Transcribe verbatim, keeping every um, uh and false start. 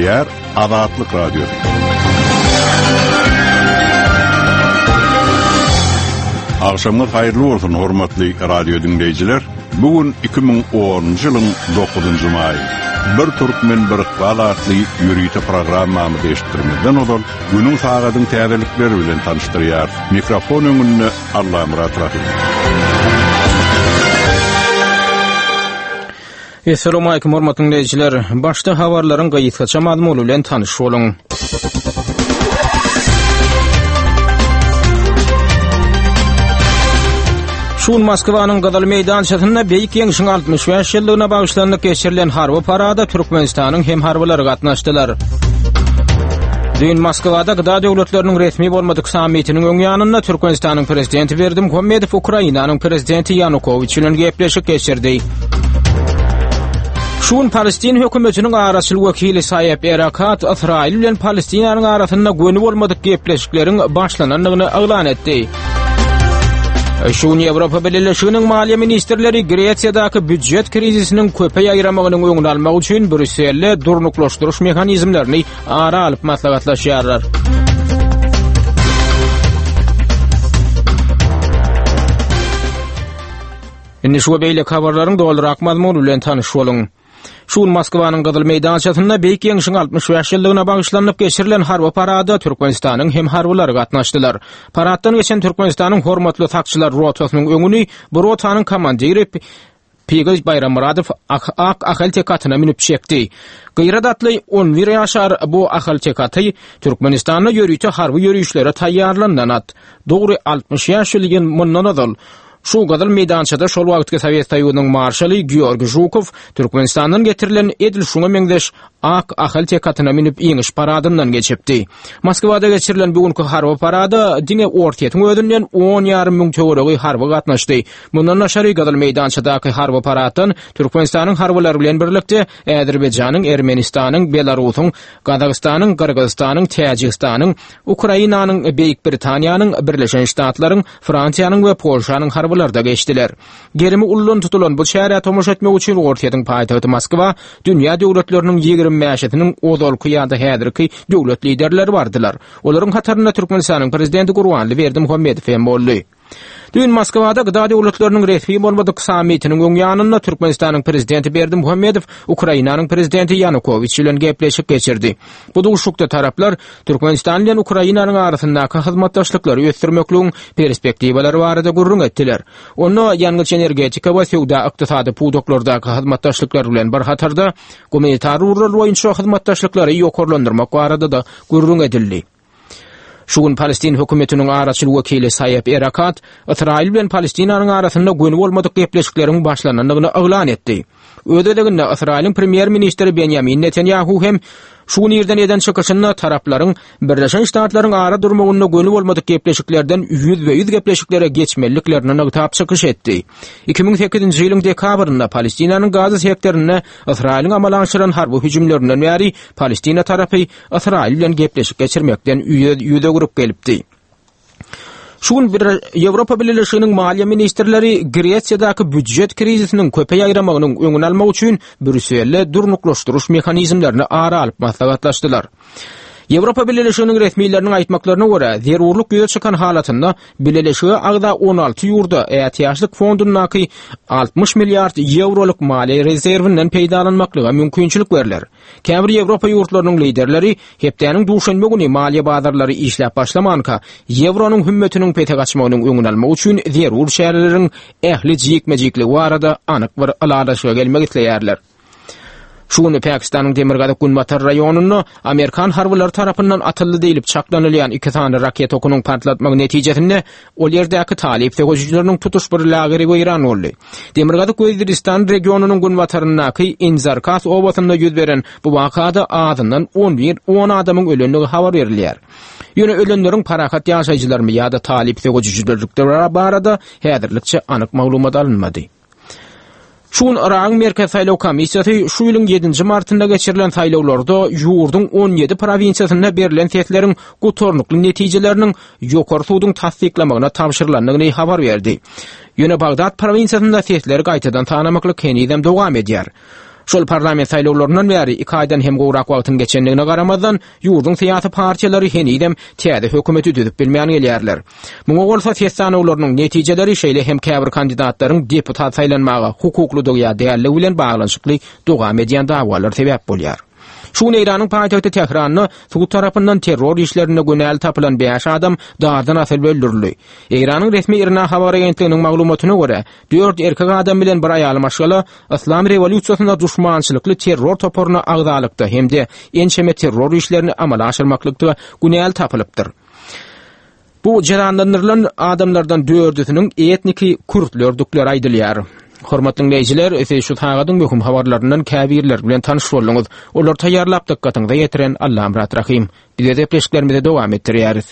Gepleýär Azatlyk Radiosy. Agşamyňyz haýyrly bolsun hormatly radio dinleýjiler. Bugün iki müň onunjy ýylyň dokuzynjy maýy. Bir Türkmen bir ykbal atly ýörite programmamyzy eşitdirmezden ozal günüň sagadyň täzelikleri bilen tanyşdyrýar. Mikrofon öňünde Allamyrat Rahim. Esselamu aleýkum hormatly dinleýjiler. Başda habarlaryň gysgaça mazmuny bilen tanyş boluň. Şu gün Moskwanyň Gyzyl meýdançasynda Beýik Ýeňşiň altmyş bäş ýyllygyna bagyşlanyp geçirilen harby parada Türkmenistanyň hem harbylary gatnaşdylar. Düýn Moskwada G D A döwletleriniň resmi bolmadyk sammitiniň öň ýanynda Türkmenistanyň prezidenti Berdimuhamedow Ukrainanyň prezidenti Ýanukowiç bilen gepleşik geçirdi. Şu gün Palestin hökümetiniň araçyl wekili Saýeb Erakat Ysraýyl bilen Palestinanyň arasynda göni bolmadyk gepleşikleriň başlanandygyny yglan etdi. Şu gün Ýewropa Bileleşiginiň maliýe ministrleri Gresiýadaky býujet krizisiniň köpe ýaýramagynyň öňüni almak üçin Brýusselde durnuklaşdyryş mehanizmlerini ara alyp maslahatlaşýarlar. Indi şu beýleki habarlaryň dolurak mazmuny bilen tanyş boluň. Şu gün Moskwanyň Gyzyl meýdançasynda Beýik Ýeňşiň altmyş bäş ýyllygyna bagyşlanyp geçirilen harby parada Türkmenistanyň hem harbylary gatnaşdylar. Paraddan geçen Türkmenistanyň hormatly sakçylar rotasynyň öňüni bu rotanyň komandiri Pigil Baýrammyradow ak, ak ahal tekatyna münüp çekdi. Gyrat atly on bir ýaşar bu ahal tekaty Türkmenistanda ýörite harby ýörişlere taýýarlanan at. Dogry altmyş bäş ýyl mundan ozal şu Gyzyl meýdançada şol wagtky Sowet Soýuzynyň marşaly Georgiý Žukow Türkmenistandan getirilen edil şuňa meňzeş ak ahal tekatyna münüp ýeňiş paradyndan geçipdi. Moskwada geçirilen bugünkü harby parada diňe Orsýetiň özünden on ýarym müň töweregi harby gatnaşdy. Mundan daşary Gyzyl meýdançadaky harby paraddan Türkmenistanyň harbylary bilen birlikde Azerbaýjanyň, Ermenistanyň, Belarusyň, Gazagystanyň, Gyrgyzystanyň, Täjigistanyň, Ukrainanyň, Beýik Britaniýanyň, Birleşen Ştatlaryň, Fransiýanyň we Polşanyň harbylary da geçdiler. Gerimi ullan tutulan bu çärä tomaşa etmek üçin Orsýetiň paýtagty Moskwa dünýä döwletleriniň ýigrimi bäşisiniň ozalky ýa-da häzirki döwlet liderleri bardylar. Olaryň hatarynda Türkmenistanyň prezidenti Gurbanguly Berdimuhamedow hem boldy. Düýn Moskwada G D A döwletleriniň resmi bolmadyk sammitiniň öň ýanynda Türkmenistanyň prezidenti Berdimuhamedow Ukrainanyň prezidenti Ýanukowiç bilen gepleşik geçirdi. Bu duşuşykda taraplar Türkmenistan bilen Ukrainanyň arasyndaky hyzmatdaşlyklary ösdürmekligiň perspektiwalary barada gürrüň etdiler. Onda ýangyç energetika we söwda ykdysady pudaklardaky hyzmatdaşlyklar bilen bir hatarda gumanitar ugurlar boýunça hyzmatdaşlyklary ýokarlandyrmak barada da gürrüň edildi. Şu gün Palestin hökümetiniň araçyl wekili Saýeb Erakat Ysraýyl bilen Palestinanyň arasynda göni bolmadyk gepleşikleriň başlanandygyny yglan etdi. Öz gezeginde Ysraýylyň premýer-ministri Benjamin Netanyahu hem şu gün irden eden çykyşynda taraplaryň Birleşen Ştatlaryň ara durmagynda göni bolmadyk gepleşiklerden ýüz be ýüz gepleşiklere geçmeliliklerini nygtap çykyş etdi. iki müň sekizinji ýylyň dekabrynda Palestinanyň Gaza sektorynda Ysraýylyň amala aşyran harby hüjümlerinden bäri Palestina tarapy Ysraýyl bilen gepleşik geçirmekden ýüz, ýüz öwrüp gelipdi. Şu gün bir Ýewropa Bileleşiginiň maliýe ministrleri Gresiýadaky býujet krizisiniň köpe ýaýramagynyň öňüni almak üçin Brýusselde durnuklaşdyryş mehanizmlerini ara alyp maslahatlaşdylar. Ýewropa Bileleşiginiň resmileriniň aýtmaklaryna görä, zerurlyk ýüze çykan halatynda Bileleşige agza on alty ýurda ätiýaçlyk fondundaky altmyş milliard ýewrolyk maliýe rezerwinden peýdalanmaklyga mümkinçilik berler. Käbir Ýewropa ýurtlarynyň liderleri hepdäniň duşenbe güni maliýe bazarlary işläp başlamanka, ýewronyň hümmetiniň pese gaçmagynyň öňüni almak üçin zerur çäreleriň ähli jikme-jikligi barada anyk bir ylalaşyga gelmek isleýärler. Şu gün Pakistanyň Demirgazyk Günbatar raýonynda Amerikan harbylary tarapyndan atyldy diýlip çaklanylýan iki sany raket okunyň partlatmagy netijesinde ol ýerdäki talyp söweşijileriniň tutuş bir lageri weýran boldy. Demirgazyk Weziristan regionynyň günbataryndaky Inzarkas obasynda ýüz beren bu wakada azyndan on bir on adamyň ölendigi habar berilýär. Ýöne ölenleriň parahat ýaşaýjylarymy ýa-da talyp söweşijileri barada häzirlikçe anyk maglumat alynmady. Şu gün Yragyň Merkez Saýlaw Komissiýasy şu ýylyň ýedinji martynda geçirilen saýlawlarda ýurduň on ýedi prowinsiýasynda berlen sesleriň gutarnykly netijeleriniň ýokary suduň tassyklamagyna tabşyrylandygyny habar berdi. Ýöne Bagdat prowinsiýasynda sesleri gaýtadan sanamaklyk henizem dowam edýär. Şol parlament saýlawlaryndan bäri iki aýdan hem gowrak wagtyň geçendigine garamazdan, ýurduň syýasy partiýalary henizem täze hökümeti düzüp bilmän gelýärler. Muňa bolsa ses sanawlarynyň netijeleri şeýle hem käbir kandidatlaryň deputat saýlanmaga hukuklydygy ýa dälligi bilen baglanyşykly dowam edýän dawalar sebäp bolýar. Şu gün Eýranyň paýtagty Tähranda sud tarapyndan terror işlerinde günäli tapylan bäş adam dardan asylyp öldürildi. Eýranyň resmi IRNA habar agentliginiň maglumatyna görä, dört erkek adam bilen bir aýal maşgala Yslam rewolýusiýasynda duşmançylykly terror toparyna agzalykda hem-de ençeme terror işlerini amala aşyrmaklykda günäli tapylypdyr. Bu jezalandyrylan adamlardan dördüsiniň etniki kürtlerdikleri aýdylýar. Hormatly dinleýjiler, siz şu sagadyň möhüm habarlaryndan käbirleri bilen tanyş bolduňyz. Olary taýýarlap dykgatyňyza ýetiren Allamyrat Rahym. Biz gepleşiklerimizi dowam etdirýäris.